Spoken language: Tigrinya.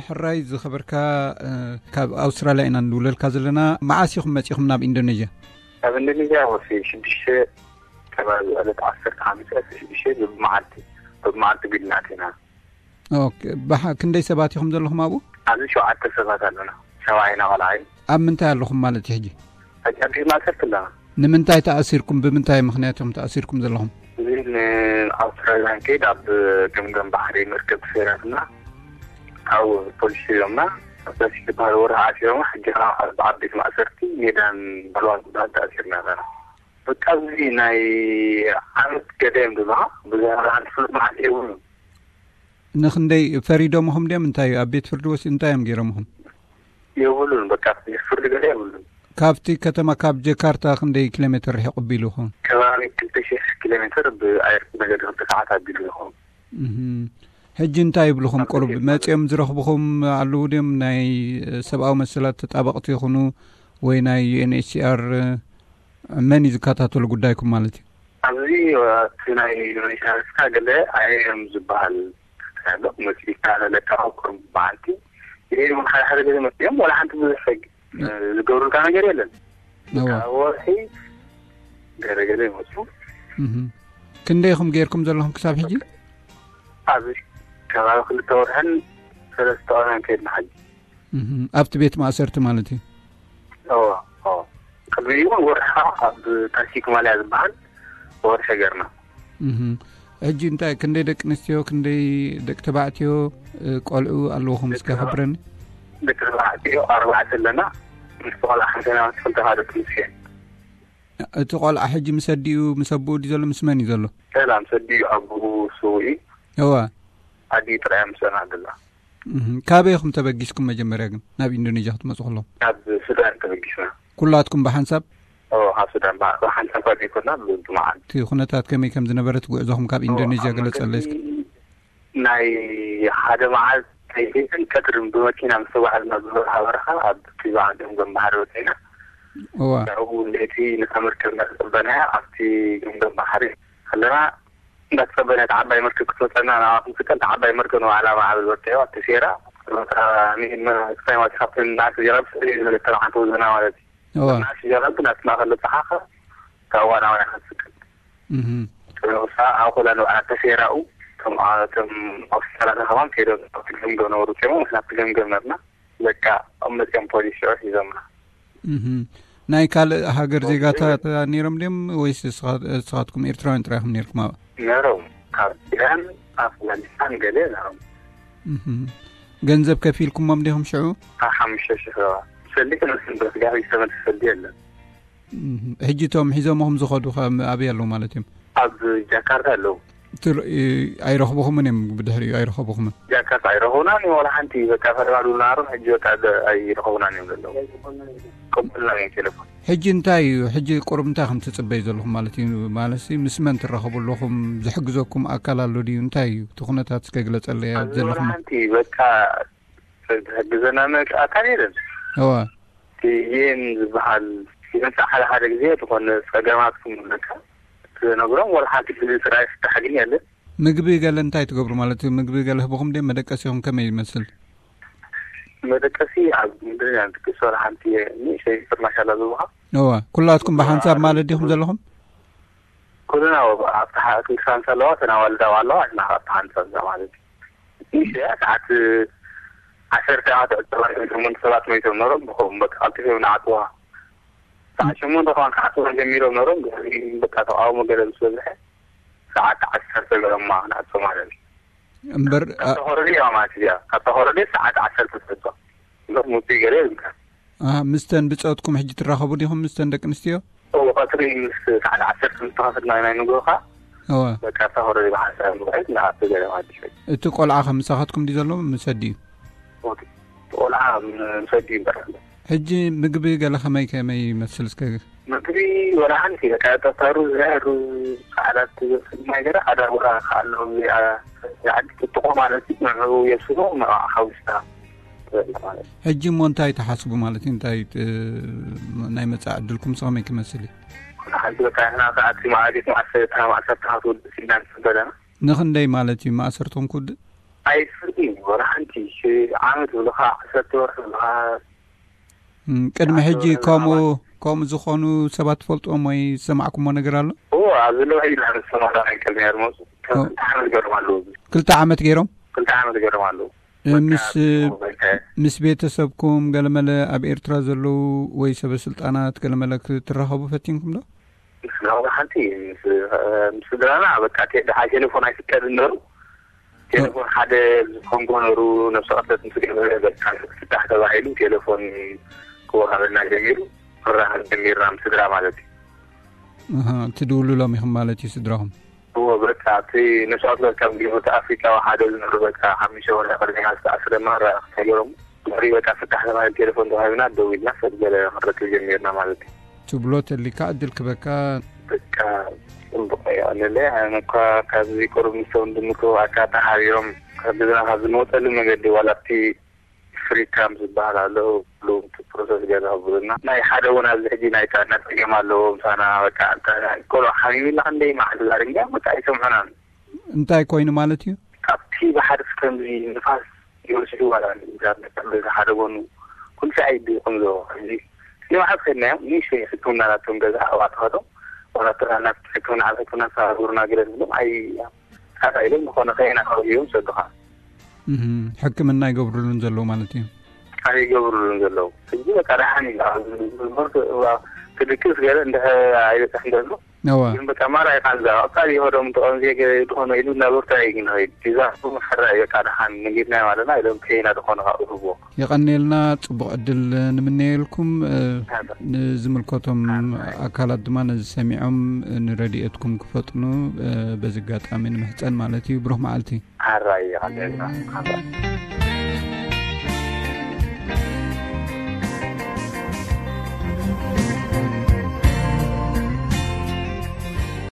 ሕራይ ዝኸበርካ፣ እ፣ ካብ ኣውስትራልያ ኢና ንድውለልካ ዘለና። መዓስ ኢኹም መጺኹም ናብ ኢንዶኔዥያ? ኣብ ኢንዶኔዥያ ወሲ ሽዱሽተ ከባቢ ዕለት ዓሰርተ ሓሙሽተ ሽዱሽተ ብመዓልቲ፣ ብመዓልቲ ቢልና ኣቲና። ኦኬ፣ ባሕ-፣ ክንደይ ሰባት ኢኹም ዘለኹም ኣብኡ? ኣብዚ ሸውዓተ ሰባት ኣለና። ሰብኣይና ቆልዓይ። ኣብ ምንታይ ኣለኹም ማለት እዩ ሕጂ? ሕጂ ኣብ ቤት ማእሰርቲ ኣለና። ንምንታይ ተኣሲርኩም? ብምንታይ ምኽንያት ኢኹም ተኣሲርኩም ዘለኹም? እዚ ንኣውስትራልያ ንከይድ ኣብ ገምገም ባሕሪ መርከብ ተሰይራትና፣ ካብኡ ፖሊስ ሒዞምና፣ ኣስታሲ ዝበሃል ወርሒ ዓሲሮምና፣ ሕጂ ከዓ ኣብ፣ ኣብ ቤት ማእሰርቲ ሜዳን ባልዋን ዝበሃል ተኣሲርና ኣለና። በቃ እዚ ናይ ዓመት ገለ እዮም ዝብሉኻ፣ ብዙሕ ፍሉጥ መዓልቲ የብሉን። ንኽንደይ ፈሪዶምኹም ድዮም? እንታይ እዩ ኣብ ቤት ፍርዲ ወሲ-፣ እንታይ እዮም ገይሮምኹም? የብሉን፣ በቃ ፍርዲ ገለ የብሉን። ካብቲ ከተማ ካብ ጀካርታ ክንደይ ኪሎ ሜትር ርሒቑ ኣቢሉ ይኸውን? ከባቢ ክልተ ሽሕ ኪሎ ሜትር ብኣየር መገዲ ክልተ ሰዓት ኣቢሉ ይኸውን። እህም። ሕጂ እንታይ ይብሉኹም? ኣብ ቁሩብ ሆቴል ማለት መጺኦም ዝረኽቡኹም ኣለዉ ድዮም? ናይ ሰብኣዊ መሰላት ተጣበቕቲ ይኹኑ ወይ ናይ ዩ ኤን ኤች ሲ ኣር፣ መን እዩ ዝከታተሉ ጉዳይኩም ማለት እዩ? ኣብዚ እቲ ናይ ዩኒቨርሲቲ ሃለፍካ ገለ ኣይ ኤም ዝበሃል ኣሎ፣ መሲልካ ዘለካ ቁሩብ መዓልቲ። ይሄ እውን ሓደ ሓደ ገለ መጺኦም ዋላ ሓንቲ ብዙሕ ሕግ፣ እ፣ ዝገብሩልካ ነገር የለን። እዋ። ካብ ወርሒ ገለ ገለ ይመጹ። እህም። ክንደይ ኢኹም ጌርኩም ዘለኹም ክሳብ ሕጂ? ኣብዚ ከባቢ ክልተ ወርሕን ሰለስተ ወርሕን ከይድና ሕጂ። እህም። ኣብቲ ቤት ማእሰርቲ ማለት እዩ? እዎ፣ እዎ። ቅድሚ እውን ወርሒ ኣብ ታሲክ ማልያ ዝበሃል ወርሒ ገርና። እህም። ሕጂ እንታይ፣ ክንደይ ደቂ ኣንስትዮ፣ ክንደይ ደቂ ተባዕትዮ፣ እ፣ ቆልዑ ኣለውኹም? እስከ ደቂ ተባ-፣ ሓብረኒ። ደቂ ተባዕትዮ ኣርባዕተ ኣለና። ምስ ቆልዓ ሓንቲ ናይ ክልተ ካልኦት ምስ እየን። እቲ ቆልዓ ሕጂ ምስ ኣዲኡ፣ ምስ ኣቦኡ ድዩ ዘሎ? ምስ መን እዩ ዘሎ? ሰላም፣ ምስ ኣዲኡ፣ ኣቦኡ ስዉእ እዩ። እዋ። ኣዲኡ ጥራይ ምስኣና ኣላ። እህ፣ ካበይ ኢኹም ተበጊስኩም መጀመርያ ግን ናብ ኢንዶኔዥያ ክትመጹ ከለኹም? ካብ ሱዳን ተበጊስና። ኩላትኩም ብሓንሳብ? ኦ፣ ካብ ሱዳን ብሓ-፣ ብሓንሳብ እኳ ዘይኮና፣ ብ-፣ ብመዓልቲ። እቲ ኩነታት ከመይ ከም ዝነበረ፣ እቲ ጉዕዞኹም ካብ ኣብ ኢንዶኔዥያ ኣብ ገለጸለይ እስኪ። መገዲ ናይ ሓደ መዓልቲ ለይትን ቀትርን ብመኪና ምስ ተጓዕዝና፣ ዝበረሃ በረኻ ኣብ ኪባ ገምገም ባሕሪ ወጺእና። እዋ። ካብኡ ለይቲ ነታ መርከብ እናተጸበናያ ኣብቲ ገምገም ባሕሪ ከለና፣ እንዳተጸበና እታ ዓባይ መርከብ ክትመጸና ናብኣ ክንስቀል፣ እታ ዓባይ መርከብ ንባዕላ ማዕበል በርቲዕዋ ተሴራ፣ እታ ኒ-፣ ን-፣ ክሳይ ማለት ካብተን ንኣሽቱ ጀላቡ ስእሊ ዝበለት ተባዕንተ ወዘና ማለት እዩ። እዋ። ንኣሽቱ ጀላቡ ናብቲ ማእከል በጻሓ፣ ካብኡ ናባና ክትስቀል። እህ። ንሳ ኣብ ኮላ ንባዕላ ተሴራኡ፣ እቶም ኣ-፣ እቶም ኦፊሰራት ከማን ከይዶም ናብቲ ገምገም ነበሩ፣ ጨሞ ናብቲ ገምገም ነርና። በቃ፣ ኣብ መጺኦም ፖሊስ ሽዑ ሒዞምና። እህ። ናይ ካልእ ሃገር ኣዎ፣ ዜጋታት ነይሮም ድዮም ወይስ ንስኻ-፣ ንስኻትኩም ኤርትራውያን ጥራይ ኢኹም ነይርኩም ኣብኣ? ነይሮም። ካብ ኢራን፣ ኣፍጋኒስታን ገለ ነይሮም። እህ። ገንዘብ ከፊልኩሞም ዲኹም ሽዑ? ካብ ሓሙሽተ ሽሕ ዶላር። ሰልዲ ክንወስድ ንብል፣ ስጋብ ዝተመልሰ ሰልዲ የለን። እህ። ሕጂ እቶም ሒዞምኹም ዝኸዱ ከ ኣበይ ኣለዉ ማለት እዮም? ኣብ ጃካርታ ኣለዉ። ትር-፣ እ፣ ኣይረኽብኹምን እዮም፣ ብድሕሪኡ ኣይረኸብኹምን? ጃካርታ ኣይረኸቡናን እዮም፣ ዋላ ሓንቲ። በቃ ፈለማ ድውልና ነይሮም፣ ሕጂ በቃ ደ-፣ ኣይረኸቡናን እዮም ዘለዉ። ቅቡልና እዮም ቴሌፎን። ሕጂ እንታይ እዩ፣ ሕጂ ቁሩብ እንታይ ከም ትጽበዩ ዘለኹም ማለት እዩ? ማለትሲ ምስ መን ትራኸቡ ኣለኹም? ዝሕግዘኩም ኣካል ኣሎ ድዩ? እንታይ እዩ እቲ ኩነታት? እስከ ግለጸለይ ኣብዚ ዘለኹም። ዋላ ሓንቲ በቃ ዝሕግዘና መ-፣ ኣካል የለን። እዋ። እቲ ዩ ኤን ዝበሃል ይመጽእ ሓደ ሓደ ግዜ፣ ዝኾነ ጸገማት ክምለካ ትነግሮም፣ ዋላ ሓንቲ ግዜ ጥራይ ፍታሕ ግን የለን። ምግቢ ገለ እንታይ ትገብሩ ማለት እዩ? ምግቢ ገለ ህብኹም ድዮም? መደቀሲኹም ከመይ ይመስል? መደቀሲ ኣብ ምድሪ ኢና ንድቅስ፣ ዋላ ሓንቲ ንእሽተይ ፍርናሽ ኣላ ዝህቡኻ። እዋ፣ ኩላትኩም ብሓንሳብ ማለት ዲኹም ዘለኹም? ኩልና ኣብ፣ ኣብቲ ሓ-፣ ክንዲ ሳንሳ ኣለዋ፣ እተን ኣዋልድ ኣብኣ ኣለዋ፣ ንሕና ኣብቲ ሓንሳብ እዛ ማለት እዩ። ንእሽተይ እያ፣ ሰዓት ዓሰርተ እያ ትዕጸዋ፣ ሸሞንተ ሰባት መይቶም ነሮም፣ ብኸምኡ በቃ ቀልጢፎም ንዓጽዋ። ሰዓት ሸሞንተ ከማን ክዓጽዋ ጀሚሮም ነሮም፣ ድሕሪ በቃ ተቃውሞ ገለ ምስ በዝሐ፣ ሰዓት ዓሰርተ ገለማ ንዓጽዋ ማለት እዩ። እምበር፣ ካብ አ- ተኾረደ እያ ማለት እያ። ካብ ተኾረደ ሰዓት ዓሰርተ ትዕጾ። እምበር ምውጽኢ ገለ የብልካን። ኣሃ፣ ምስተን ብጾትኩም ሕጂ ትራኸቡ ዲኹም ምስተን ደቂ ኣንስትዮ? እዎ፣ ቀትሪ ምስ ሰዓት ዓሰርተ ምስ ተኸፈትና ናይ ንግሆ ኸኣ፣ እወ። በቃ፣ እታ ኮረዲ ብሓንሳብ ንብረት ንኣቱ ገለ ማለት እዩ። እቲ ቆልዓ ከ ምሳኻትኩም ድዩ ዘሎ? ምስ ኣዲኡ? እቲ ቆልዓ ምስ ኣዲኡ እምበር ኣሎ። ሕጂ ምግቢ ገለ ከመይ፣ ከመይ ይመስል እስከ? ምግቢ ወላ ሓንቲ፣ በቃ፣ እታ ሩዝ፣ ሩዝ፣ ጻዕዳ ትመስል ነገር፣ ኣዳጉራ ከኣ ኣሎ፣ እዚኣ፣ ዓዲ ጥጥቖ ማለት እዩ፣ ንዕኡ የብስሎ፣ ንዕኣ ሓዊስካ ትበልዕ ማለት እዩ። ሕጂ እሞ እንታይ ትሓስቡ ማለት እዩ? እንታይ ት-፣ ናይ መጻኢ ዕድልኩም ከመይ ክመስል እዩ? ሓንቲ በቃ ንሕና ከኣ እቲ መኣዲ መዓስ-፣ መዓሰርተ ትውድእ ኢልና ንጽበ ኣለና። ንኽንደይ ማለት እዩ መኣሰርትኹም ክውድእ? ኣይፈልጥን እዩ፣ ወላ ሓንቲ። ሽ-፣ ዓመት ብለኻ፣ ዓሰርተ ወርሒ ብለኻ። እም፣ ቅድሚ ሕጂ ከምኡ፣ ከምኡ ዝኾኑ ሰባት ትፈልጥዎም ወይ ዝሰማዕኩሞ ነገር ኣሎ? ኦ፣ ኣብዚ ለውዒ ኢና ንሰማራ ናይ ቅድሚ ኣድማሱ። ኦ። ክልተ ዓመት ገይሮም ኣለዉ። ክልተ ዓመት ገይሮም? ክልተ ዓመት ገይሮም ኣለዉ። እ፣ በቃ፣ ምስ፣ በቃ። ምስ ቤተሰብኩም ገለመለ ኣብ ኤርትራ ዘለዉ ወይ ሰበ ስልጣናት ገለመለ ክትራኸቡ ፈቲንኩም ዶ? ምስ ናብራ ሓንቲ ምስ፣ እ፣ ምስ ስድራና በቃ ቴ-፣ ደሓ ቴሌፎን ኣይፍቀድን ነሩ። ቴሌፎን ሓደ ዝኾንጎ ነሩ ነብሰ ቀተት ምስ ገበረ በቃ ፍታሕ ተባሂሉ ቴሌፎን ክወሃበና ጀሚሩ። ክራኸብ ጀሚርና ምስ ስድራ ማለት እዩ። ኣሃ፣ ትድውሉሎም ኢኹም ማለት እዩ ስድራኹም? እዎ፣ በቃ እቲ ነብሰ ቀተት ካብ ገበርቲ ኣፍሪቃዊ ሓደ ዝነሩ በቃ ሓሙሽተ ወርሒ ቅድሚና ዝተኣስረ ማራ ተገይሮም። ድሕሪ በቃ ፍታሕ ተባሂሉ ቴሌፎን ተዋሂብና ደው ኢልና ሰብ ገለ ክንረክብ ጀሚርና ማለት እዩ። ትብሎ ተሊካ ዕድል ክበካ። በቃ ጽቡቕ እዩ። ኣለለ ኣነ እኳ ካብዚ ቁሩብ ምስ ወንድምኩ ኣካ ተሓቢሮም ካብ ገዛና ካብ ዝመወጸሉ መገዲ ዋላ ኣብቲ ፍሪ ካምፕ ዝበሃል ኣሎ፣ ኩሉ እቲ ፕሮሰስ ገዛ ክብሉና። ናይ ሓደ እውን ኣብዚ ሕጂ ናይ ጥዕና ጸገም ኣለዎ ምሳና። በቃ እንተ ቆልዑ ሓሚሙና ክንደይ መዓልቲ ዛሪብና በቃ ኣይሰምዑናን። እንታይ ኮይኑ ማለት እዩ? ካብቲ ባሕሪ ከምዚ ንፋስ ይወስዱ ዋላ ንዛ በቃ በዚ ሓደ ጎኑ ኩሉ ሰዓት ይድይቆም ዘሎ። ሕጂ ንመዓልቲ ከድናዮም ንእሽተይ ሕክምና ናቶም ገዛ ኣብኣ ተኸዶ ዋላ ጥራና ሕክምና ኣብ ሕክምና ተባብሩና ገለ ንብሎም ኣይ ካታ ኢሎም ዝኾነ ከየና ከርእዮም ሰዱኻ። እህ፣ ሕክምና ይገብሩሉን ዘለዉ ማለት እዩ። ኣይገብሩሉን ዘለዉ። ሕጂ በቃ ደሓን እዩ። ኣብ ዝምህርቱ እባ ክድቅስ ገለ እንድሕር ኣይበጽሕን ዘሎ። እዋ። ግን በቃ ማራ ይቃልዛ። ቀጻሊ ይኸዶም ተቐምዜ ገ-፣ ዝኾነ ኢሉ እናበርታ እዩ ግን ኸይድ። ዲዛ ሕራ እዩ በቃ ደሓን ንጊድና ማለትና ኢሎም ከይና ዝኾነ ካብ እህቦ። የቐንየልና፣ ጽቡቕ ዕድል ንምነየልኩም። እ፣ ኣታ። ንዝምልከቶም ኣታ። ኣካላት ድማ ነዚ ሰሚዖም ንረድኤትኩም ክፈጥኑ፣ እ፣ በዚ ኣጋጣሚ ንምሕጸን ማለት እዩ። ብሩኽ መዓልቲ። ሓራይ ይቐንየልና። ሓራይ።